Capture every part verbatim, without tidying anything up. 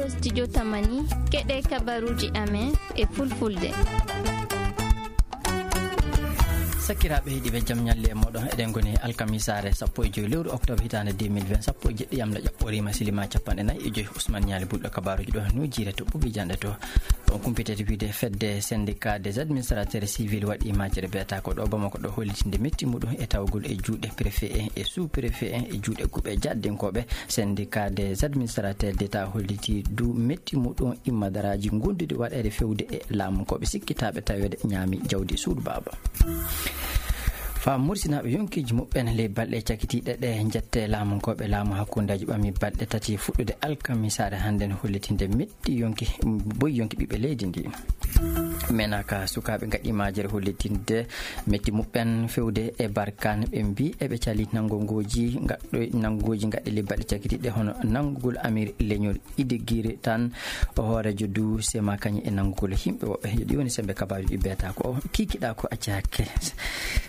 Studio Tamani, keɗe kabaruuji amen e fulfulde. Sakiraaɓe heɗiiɓe, jam ñalle e mooɗon. Eɗen ngoni alkamisaare sappo e joy lewru octobre hitaande deux mille vingt, sappo e jeɗɗi yamla ƴaɓɓoriima, silima capanɗe nayi e joy. Ousmane Ñaali Bulɗo kabaaruuji ɗo, no jiire to ɓuuɓi jannde to. On kumpitete wiide fedde syndicat des administrateurs civils waɗi majjere beeta ko ɗo Bamako ɗo hollitinde metti muɗum e tawgol e juuɗe préfet en e sous-préfet en e juuɗe guɓe jaddinkooɓe. Syndicat des administrateurs d'État holliti du metti muɗum immadaraaji gonduɗi waɗeede fewde e laamunkooɓe sikkitaaɓe taweede ñaami jawdi suudu baaba. Faa mursinaaɓe yonkiiji muɓɓen ley balɗe cakitiiɗe ɗe, jette laamunkooɓe laamu hakkundeeji ɓami balɗe tati fuɗɗude alkamisaare hannden hollitinde metti yonki, boy yonki ɓiɓɓe leydi ndi. Menaka sukaaɓe ngaɗi majere hollitinde metti muɓɓen fewde e Barkaan. Ɓe mbii eɓe cali nanngongooji ngaɗɗo-, nanngooji ngaɗɗi ley balɗe cakitiiɗe hono nanngugol amir leñol Idigiri tan o hooreejo du sema kañum e nanngugol yimɓe woɓɓe. Yo ɗi woni sembe kabaaruuji beeta ko kikiɗa ko acca hakke.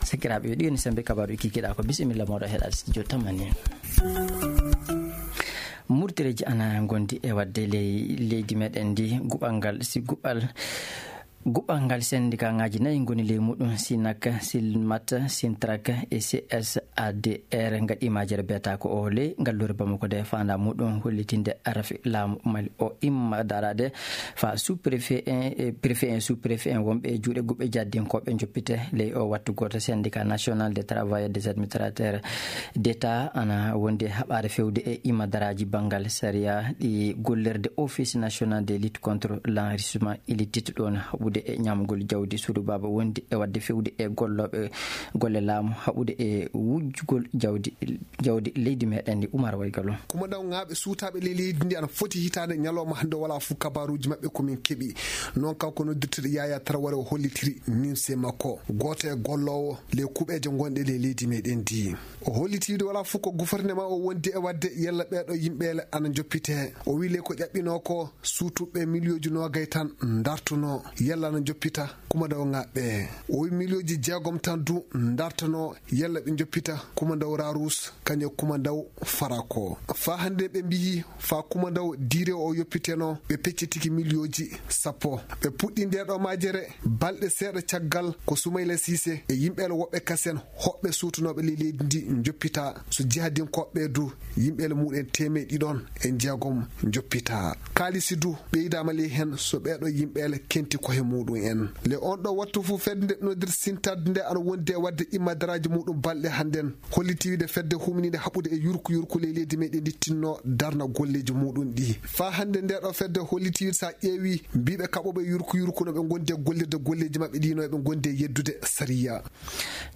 Sakiraaɓe, yo ɗi woni sembe kabaaruuji kikiɗa ko. Bisimilla mooɗo heɗaade studio Tamani. Murtireeji ana ngondi e waɗde ley leydi meɗen ndi guɓal ngal, si guɓal, guɓal ngal sendikaaŋaaji nayi ngoni ley muɗum, Sinak, Silmat, Sintrak e C S A D R ngaɗi majere beeta ko o ley ngalluure Bamako nde faanda muɗum hollitinde rafi laamu Mali o imma daraade faa sous-préfet en, e préfet en, sous-préfet en wonɓe e juuɗe guɓe jaddinkooɓe njoppite. Ley o wattu gooto, Syndicat National des Travailleurs des Administrateurs d'État ana wondi e haɓaade fewde e imadaraaji banngal sariya ɗi gollirde Office National de Lutte contre l'Enrichissement Illicite, ɗoon haɓude e ñaamgol jawdi suudu baaba, wondi e waɗde fewde e gollooɓe golle laamu haɓude e wujjugol jawdi, jawdi leydi meɗen ndi. Umar Waygalo. Kumandaŋaaɓe suutaaɓe ley leydi ndi ana foti hitaande ñalawma hannde, wala fuu kabaaruuji maɓɓe ko min keɓi. Noon kanko noddirteeɗo Yaya Traoré o hollitiri nimse makko. Gooto e golloowo ley kuɓeeje gonɗe ley leydi meɗen ndi. O holliti wiide wala fuu ko gouvernement o wondi e waɗde yalla ɓeeɗo yimɓeele ana njoppite. O wii ley ko ƴaɓɓinoo ko suutuɓe miliyooji noogay tan ndartunoo yalla ana njoppita kumandaŋaaɓe. O wii miliyooji jeegom tan du ndartanoo yalla ɓe njoppita kumandaw Rarus kañum e kumandaw Farako. Faa hannde ɓe mbiyi faa kumandaw diire o yoppiteno, ɓe peccitiki miliyooji sappo. Ɓe puɗɗi ndeeɗo majere balɗe seeɗa caggal ko Soumaïla Cissé e yimɓeele woɓɓe kasen hoɓɓe suutunooɓe ley leydi ndi njoppita, so jihadinkooɓe du yimɓeele muɗum teemeɗe ɗiɗon e jeegom njoppita. Kaalisi du ɓeydaama ley heen so ɓeeɗo yimɓeele kenti kohe muɗum en. Le on ɗo wattu fuu fedde nde noddir sintadde nde ana wondi e waɗde immadaraaji muɗum balɗe hannden. Holliti wiide fedde huminiinde haɓude e yurku yurku ley leydi meɗen ndi tinno darna golleeji muɗum ɗi. Faa hannde ndeeɗo fedde holliti wiide so a ƴeewi mbiiɓe kaɓooɓe yurku yurku no ɓe ngondi e gollirde golleeji maɓɓe ɗi no ɓe ngondi e yeddude sariya.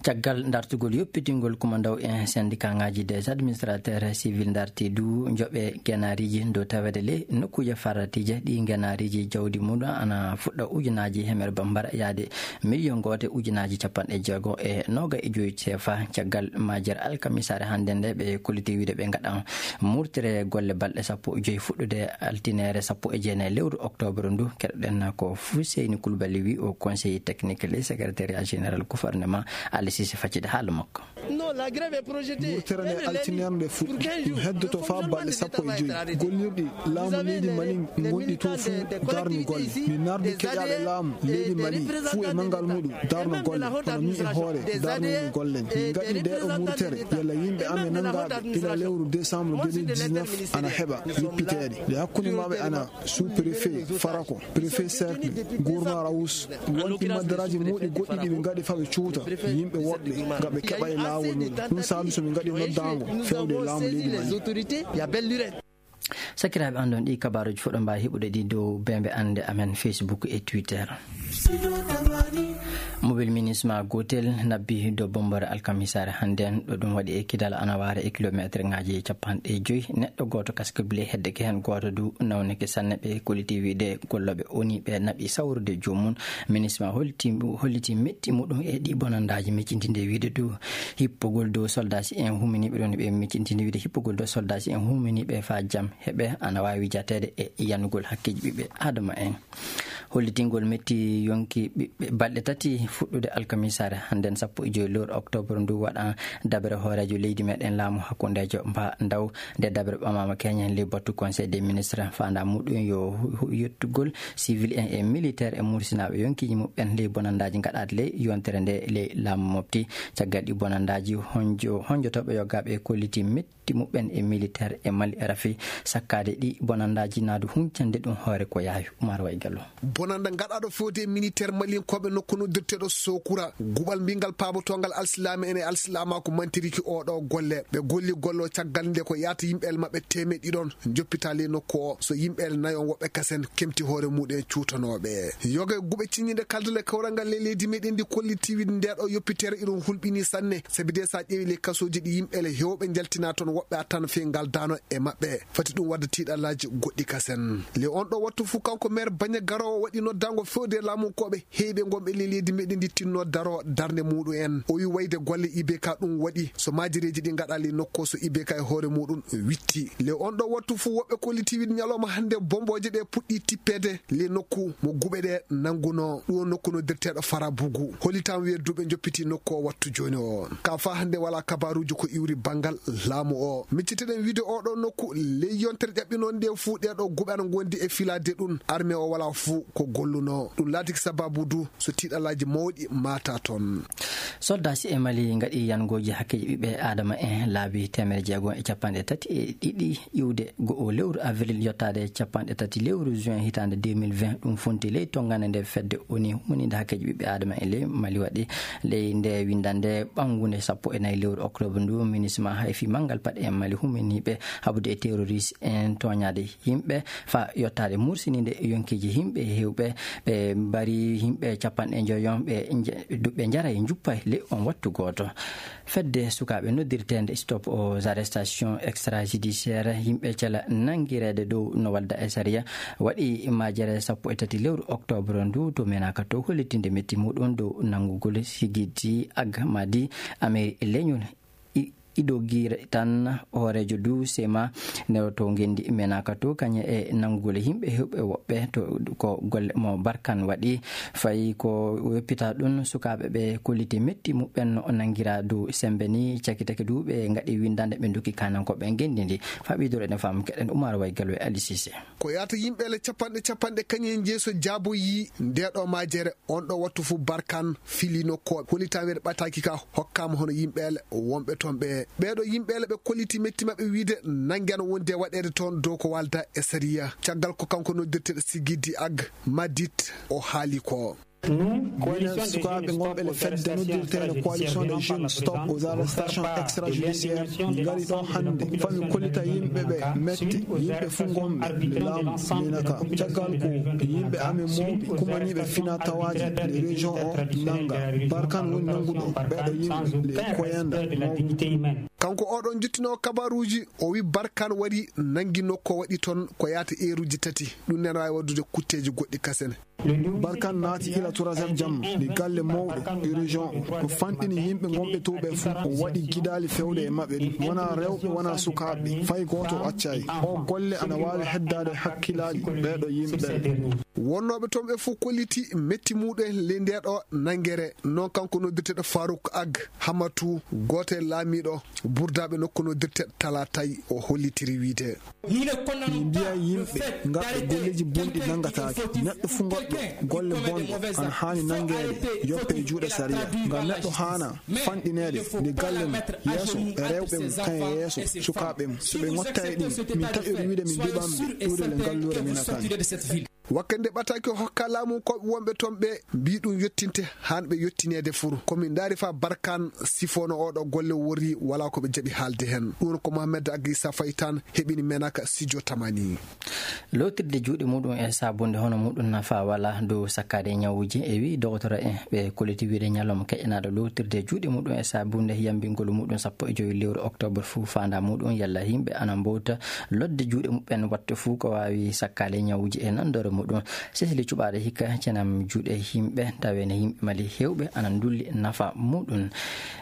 Caggal dartugol yoppitingol kumandaw en sendikaŋaaji des administrateurs civils darti du njoɓe genaariji dow taweede ley nokkuuje faratiije ɗi genaariji jawdi mum ana fuɗɗa ujunaaji hemere bambara yaade miliyon gooto e ujunaaji capanɗe jeego e nooga e joyi sefa. Caggal majere alkamisaare hannde nde ɓe kolliti wiide ɓe ngaɗan murtere golle balɗe sappo e joyi fuɗɗude altineere sappo e jeenayi lewru octobre ndu. Keɗoɗen ko Fuseyni Kulbali wi o conseiller technique ley secrétariat général gouvernement. Ali Sise faccide haala makko. Murtere nde altineere nde fuɗɗi, ɗum heddoto faa balɗe sappo e joyi. Gollirɗi laamu leydi Mali ngonɗi to fuu darni golle. Mi nardi keƴaaɓe laamu leydi Mali fuu e manngal muɗum darno golle, kono min e hoore darnumi golle. Min ngaɗi nde ɗo murtere yalla yimɓe amen nanngaaɓe ila lewru décembre deux mille dix-neuf ana heɓa yoppiteede. Nde hakkunde maɓɓe ana sous-préfet Farako, préfet cercle, gouverneur Awus, won immadaraaji mawɗi goɗɗi ɗi ɓe ngaɗi faa ɓe cuuta yimɓe woɗɓe ngam ɓe keɓa e laawol muɗum. Ɗum saabi so min ngaɗi noddaango fewde e laamu leydi Mali. Sakiraaɓe, anndon ɗi kabaaruuji fof ɗo mbaawi heɓude ɗi dow beembe annde amen Facebook e Twitter. Mobile minisma gootel nabbi dow bommbore alkamisaare hannden, ɗo ɗum waɗi e kidal ana waare e kilomeeterŋaaji capanɗe joyi. Neɗɗo gooto kaskibli heddeke heen, gooto du nawnike sanne. Ɓe kolliti wiide gollooɓe O N U ɓe naɓi sawrude joomum. Minisma holliti, holliti metti muɗum e ɗi bonandaaji, miccitinde wiide du hippogol dow soldaaji en huminiiɓe ɗon, ɓe miccitinde wiide hippogol dow soldaaji en huminiiɓe faa jam heɓe ana waawi jateede e yanugol hakkeeji ɓiɓɓe Aadama en. Hollitingol metti yonki ɓiɓɓe balɗe tati fuɗɗude alkamisaare hannden sappo e joy lewru oktoobar ndu waɗa daɓere hooreejo leydi meɗen laamu hakkundeejo mba ndaw. Nde daɓere ɓamaama keñen ley battu conseil des ministres faanda muɗum yo hu- yettugol civil en e militaire e mursinaaɓe yonkiiji muɓɓen ley bonandaaji gaɗaaɗi ley yontere nde ley laamu mofti. Caggal ɗi bonandaaji honjo honjotooɓe yogaaɓe e kolliti metti muɓɓen e militaire e mali rafi sakkaade ɗi bonandaaji naadu huncande ɗum hoore ko yaawi. Umar Way Gallo. Bonannda gaɗaaɗo fewde e militaire malinkooɓe nokku noddirteeɗo Sokura, guɓal mbingal paabotoongal alsilaame en e alsilaamaaku mantiriki oɗo golle. Ɓe golli gollo caggal nde ko yaata yimɓe el maɓɓe teemeɗɗi ɗon joppitaali nokku o. So yimɓe el nayon woɓɓe kasen kemti hoore muɗen cuutanooɓe. Yoga e guɓe ciññinde kaldale kawrangal ley leydi meɗen ndi kolli tiwid ndeɗo yoppitere iɗum hulɓini sanne. Sabi de sa ƴeewi ley kasooji ɗi yimɓe el hewɓe njaltina toon woɓɓe attan fii ngal daano e maɓɓe. Fati ɗum wadda tiiɗallaaji goɗɗi kasen. Le on ɗo wattu fuu kanko maire Baña Garowo waɗi noddaango fewde laamunkooɓe heewɓe ngonɓe ley leydi meɗen ndi tinno daro darnde muɗum en. O wi wayde golle I B K ɗum waɗi so maajireeji ɗi ngaɗaali nokku so I B K e hoore muɗum witti. Le on ɗo wattu fuu woɓɓe kolliti wiɗ ñalawma hannde bombooje ɗe puɗɗi tippeede le nokku mo guɓe ɗe nannguno. Ɗum o nokku noddirteeɗo Farabugu. Hollitam wedduɓe njoppiti nokku o wattu jooni o. Ka faa hannde walaa kabaaruuji ko iwri banngal laamu o. Micciteɗen wiide oɗo nokku ley yontere ƴaɓɓinoon nde fuu ɗeɗo guɓe ana ngondi e filaade ɗum. Armée o walaa fuu ko golluno. Ɗum laatiki sababu du so tiiɗalaaji mawɗi maata toon. Soldaaji e Mali ngaɗi yangooji hakkeeji ɓiɓɓe Aadama en laabi teemere jeego e capanɗe tati e ɗiɗi iwde go'o lewru avril yottaade capanɗe tati lewru juin hitaande deux mille vingt. Ɗum fonti ley tonngande nde fedde woni humaniinde hakkeeji ɓiɓɓe Aadama en ley Mali waɗi. Ley nde winndannde ɓanngunde sappo e nayi lewru oktoobar ndu, minisma hay fii manngal paɗe en Mali huminiiɓe haɓude e terroriste en tooñaade yimɓe faa yottaade mursiniinde yonkiiji yimɓe heewɓe. Ɓe mbari yimɓe capanɗe njoyon ɓe nje- du- ɓe njaray njuppay ley on wattu gooto. Fedde sukaaɓe noddirteende Stop aux arrestations extrajudiciaires yimɓe cela nanngireede dow no wadda e sariya waɗi majere sappo e tati lewru oktoobar ndu to menaka to hollitinde metti muɗum dow nanngugol Sigiti Agmadi Ameri leñol. I- idogire tan hooreejo du sema newoto ngenndi menaka to kañe e nanngugol yimɓe heewɓe woɓɓe to ko golle mo Barkan waɗi. Fayi ko weppita ɗum sukaaɓe ɓe kolliti metti muɓɓen no o nanngira dow semmbe ni cakitake du ɓe ngaɗi winndande ɓe ndokki kanankooɓe ngenndi ndi. Faa ɓiydoro eɗen faamu keɗen Umar Way Gallo e Ali Sise. Ko yaata yimɓe le capanɗe capanɗe kañe jeeso jaaboyi ndeɗo majere on ɗo wattu fuu Barkan fili nokkooɓe. Holi tan weɗe ɓataaki ka hokkaama hono yimɓe le wonɓe toon ɓe. Ɓeeɗo yimɓe le ɓe kolliti metti maɓɓe wiide nannge ana wondi e waɗeede toon dow ko walda e sariya. Caggal ko kanko noddirteeɗo Sigidi Ag Madit o haali ko. Minen sukaaɓe ngonɓe le fedde noddirteende Coalition des Jeunes Stop aux Arrestations Extrajudiciaires ngari ɗo hannde fami kollita yimɓe ɓe metti yimɓe fuu ngonɓe le laamu menaka caggal ko yimɓe amen mawɓe kumaniiɓe fina tawaaji le région o nannga. Barkan woni nannguɗo ɓeɗo yimɓe le koyanda mawɓe. Kanko oɗon jottinoo kabaruuji o wi Barkan wari nanngi nokko waɗi toon ko yaata eeruuji tati. Ɗum nena waawi waddude kutteeji goɗɗi kasen. Barkan naati ila trois heures jamma e galle mawɗo e région o. O fanɗini yimɓe ngonɓe to ɓe fuu. O waɗi gidaali fewde e maɓɓe ɗi. Wonaa rewɓe, wonaa sukaaɓe. Fay gooto o accaay. O golle ana waawi heddaade hakkilaaji ɓeeɗo yimɓe. Wonnooɓe toon ɓe fuu kolliti metti muɗum ley ndeeɗo nanngere. Noon kanko noddirteeɗo Farouk Ag Hamatu, gooto e laamiiɗo burdaaɓe nokku noddirteeɗo Talatay o hollitiri wiide. Min mbiya yimɓe ngaɗɓe golleeji bonɗi nanngataake. Neɗɗo fuu ngaɗɗo golle bonɗe ana haani nanngeede yoppe e juuɗe sariya. Ngam neɗɗo haana fanɗineede nde galle mum yeeso e rewɓe mum kañe yeeso sukaaɓe mum. So ɓe ngottayi ɗum, min taƴori wiide min nduɓan ɓe iwde le ngalluure men a kan. Wakkati nde ɓataaki o hokka laamu koɓe wonɓe toon ɓe mbi ɗum yottinte haan ɓe yottineede fur. Ko min ndaari faa Barkan sifono oɗo golle worri walaa ko ɓe jaɓi haalde heen. Ɗum ko Mohamed Agisa Faytan heɓini menaka Sidio Tamani. Lootirde juuɗe muɗum e saabunde hono muɗum nafa wala dow sakkaade ñawuuji e wi dogotoro en ɓe koliti wiide ñalawma keƴanaaɗo lootirde juuɗe muɗum e saabunde yambingol muɗum sappo e joyi lewru oktoobar fuu faanda muɗum yalla yimɓe ana mbowta lodde juuɗe muɓɓen watte fuu ko waawi sakkaade ñawuuji e nanndore muɗum. Sesili cuɓaaɗo hikka cenam juuɗe yimɓe, taweene yimɓe Mali heewɓe ana ndulli nafa muɗum.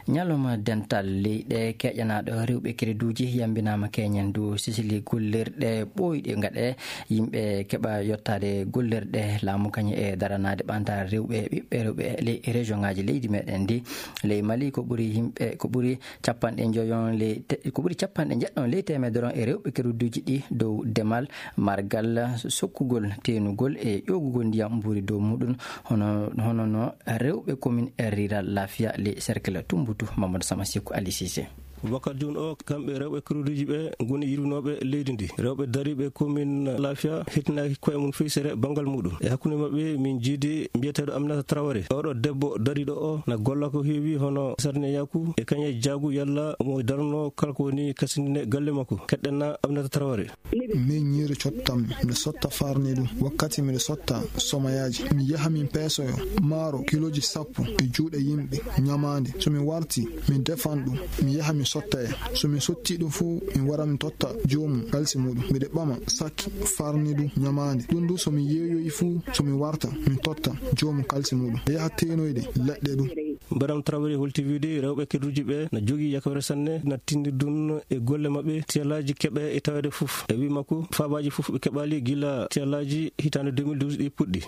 Ñalawma dental leyɗe keƴanaaɗo rewɓe kereduuji yambinaama keñen dow sesili gollirɗe ɓooyɗe ngaɗe yimɓe keɓa yottaade gollirɗe laamu kañum e daranaade ɓantaare rewɓe e ɓiɓɓe rewɓe e ley région ŋaaji leydi meɗen ndi. Ley Mali ko ɓuri yimɓe, ko ɓuri capanɗe njoyon ley te-, ko ɓuri capanɗe njeɗɗon ley teemedere on e rewɓe keruduuji ɗi dow demal, margal, sokkugol, teenugol e ƴoogugol ndiyam mbuuri dow muɗum, hono, hono no rewɓe commune e rural Lafia ley cercle Tumbutu. Mamadou Sama Seku Ali Cissé. Wakkati jooni o, kamɓe rewɓe keruduuji ɓe ngoni yirwinooɓe leydi ndi. Rewɓe dariiɓe commune Lafia hettinaaki koye mum fey sere banngal muɗum. E hakkunde maɓɓe, min njiidi mbiyeteeɗo Aminata Traoré. Oɗo debbo dariiɗo o na golla ko heewi hono sardineyaku e kañe jaagu yalla omo darno kala ko woni kasindine galle makko. Keɗɗen na Aminata Traoré. Min ñiiri cottam, miɗo sotta farni ɗum. Wakkati miɗo sotta somayaaji, mi yaha min peesoyo maaro kilooji sappo e juuɗe yimɓe ñamaande. So mi warti, mi defan ɗum, mi yaha mi sotta e. So mi sotti ɗum fuu, mi wara mi totta joomum kalsi muɗum. Miɗo ɓama sakki farni ɗum ñamaande. Ɗum du so mi yeeyoyi fuu, so mi warta, mi totta joomum kalsi muɗum. Mi yaha teenoyde leɗɗe ɗum. Madame Traoré holti wiide rewɓe keruuji ɓe na jogii yakawre sanne, na tindi ɗum e golle maɓɓe, tiyalaaji keɓe e taweede fof. E wii makko, faabaaji fof ɓe keɓaali gila tiyalaaji hitaande deux mille douze ɗi puɗɗi.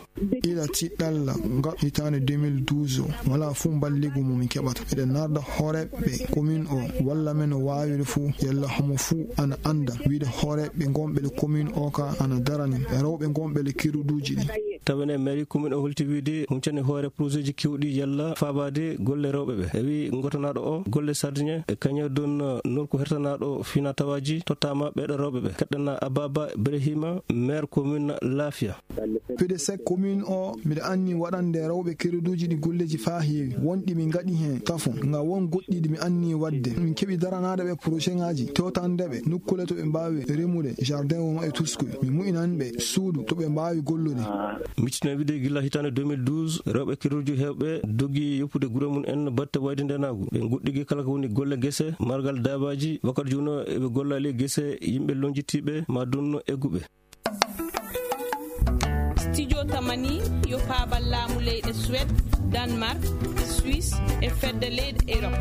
Ila tiɗɗalla nga hitaande deux mille douze o, walaa fof mballigu mo min keɓata. Eɗen narda hooreeɓe commune o, walla men o waawiri fof, yalla homo fof ana annda wiide hooreeɓe ngonɓe le commune o ka ana darani rewɓe ngonɓe le keruduuji ɗi. Tawen e mairie commune o holti wiide huncani hoore projet ji kewɗi yalla faabaade golle rewɓe ɓe. E wii ngotanaaɗo o golle sardine e kañum ɗon nokku hertanaaɗo fina tawaaji tottaama ɓeeɗo rewɓe ɓe. Keɗɗana Ababa Ibrahima, maire commune Lafia. P D C commune o, miɗo anni waɗande rewɓe keruduuji ɗi golleji faa heewi. Won ɗi min ngaɗi heen tafo, nga won goɗɗi ɗi mi anni waɗde. Min keɓi daranaade ɓe projet ŋaaji, tewtande ɓe nokkuule to ɓe mbaawi remude, jardin woma e tuskoy. Mi mu'inan ɓe suudu to ɓe mbaawi gollude. Miccitino wiide gila hitaande deux mille douze, rewɓe keruuji heewɓe dogi yoppude gure mum en batte wayde ndenaagu. Ɓe nguɗɗigi kala ko woni golle gese, margal daabaaji, wakkati jooni o eɓe golla e ley gese yimɓe lonjitiiɓe, ma dunno egguɓe. Studio Tamani yo paabal laamu leyɗe Suède, Danemark, Suisse e fedde leyɗe Europe.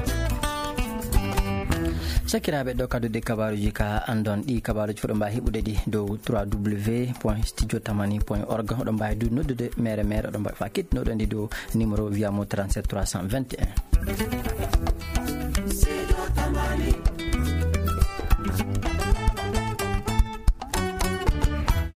Sakiraaɓe, ɗo kadduɗe kabaaruuji ka anndon ɗi kabaaruuji fof ɗo mbaawi heɓude ɗi dow trois W point studio tamani point org. Oɗon mbaawi du noddude mere mere, oɗon mbaawi fa kettinooɗon ɗi dow numéro via mo trente-sept trois cent vingt et un.